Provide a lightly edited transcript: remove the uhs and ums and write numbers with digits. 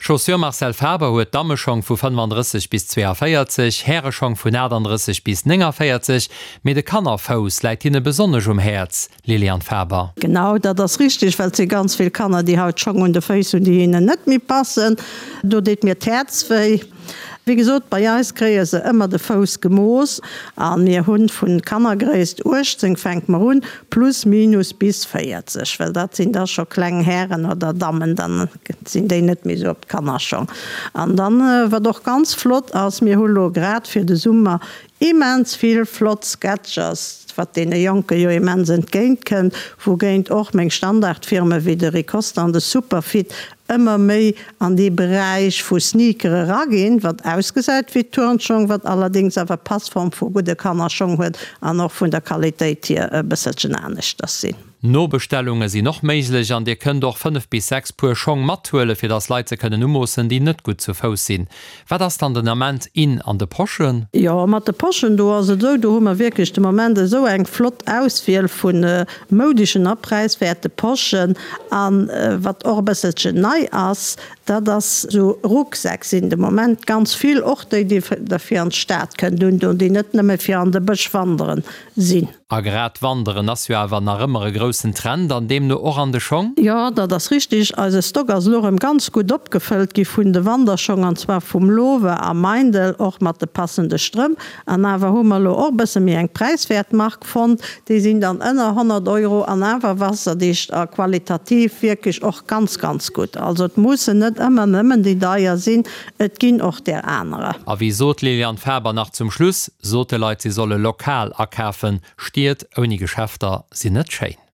Chaussure Marcel Faber huet Dammeschong vu 35 bis 42, Häreschong vun 38 bis 49, mee de Kannerfouss läit hinne besonnesch um Häerz, Liliane Faber. Genau, dat ass richteg, well et si ganz vill Kanner, déi haut Schong un de Féiss hunn, déi hinnen net méi passen. Do deet mir d'Häerz wéi. Wéi gesot, bei eis kréie se ëmmer de Fouss gemooss a mir hu vu Kannergréisst 18 fänke mer un, plus minus bis 40, well dat sinn da scho kleng Hären oder Dammen, dann sinn déi net méi esou op d'Kannerschong. An dann, wat och ganz flott ass, mir hu lo grad fir de Summer Immens vill flott Sketchers, wat deene Jonke jo immens entgéint kënnt, wougéint och meng Standardfirme wéi de Ricosta an de Superfit ëmmer méi an dee Beräich vu Sneakere raginn, wat ausgesäit wéi Turnschong, wat allerdéngs awer Passform vu gudde Kannerschong huet an och vun der Qualitéit hier e bësselchen aneschters sinn. Nobestellunge sinn och méiglech an dir kënnt och 5 bis 6 Puer Schong mathuelen, fir dass Leit se kënnen umoossen, déi net gutt zu Fouss sinn. Wat ass dann den Ament in an de Poschen? Jo, mat de Poschen, do ass et esou, do hu mer wierklech de Moment esou eng flott Auswiel vu moudeschen a präiswäerte Poschen. A wat och e bësselchen nei ass, dat ass esou Rucksäck sinn de Moment ganz vill, och déi, déi der fir an d'Stad kënnt undoen, déi net nëmme fir an de Bësch wanderen sinn. A grad Wanderen ass jo awer nach ëmmer e groussen Trend an deemno och an de Schong? Jo, dat ass richtig. Eise Stock ass elo erëm ganz gutt opgefëllt gi vun de Wanderschong, an zwar vum Lowe a Meindl, och mat de passende Strëmp. An awer hu mer elo och e bësse méi eng präiswäert Mark fonnt. Déi sinn dann ënner 100 Euro an awer wasserdicht a qualitativ wierklech och ganz, ganz gutt. Also et mussen net ëmmer nëmmen déi deier sinn, et ginn och där anerer. A wéi sot d'Liliane Faber nach zum Schluss, Sot de Leit, si solle lokal akafen. Stied ouni Geschäfter sinn net schéin.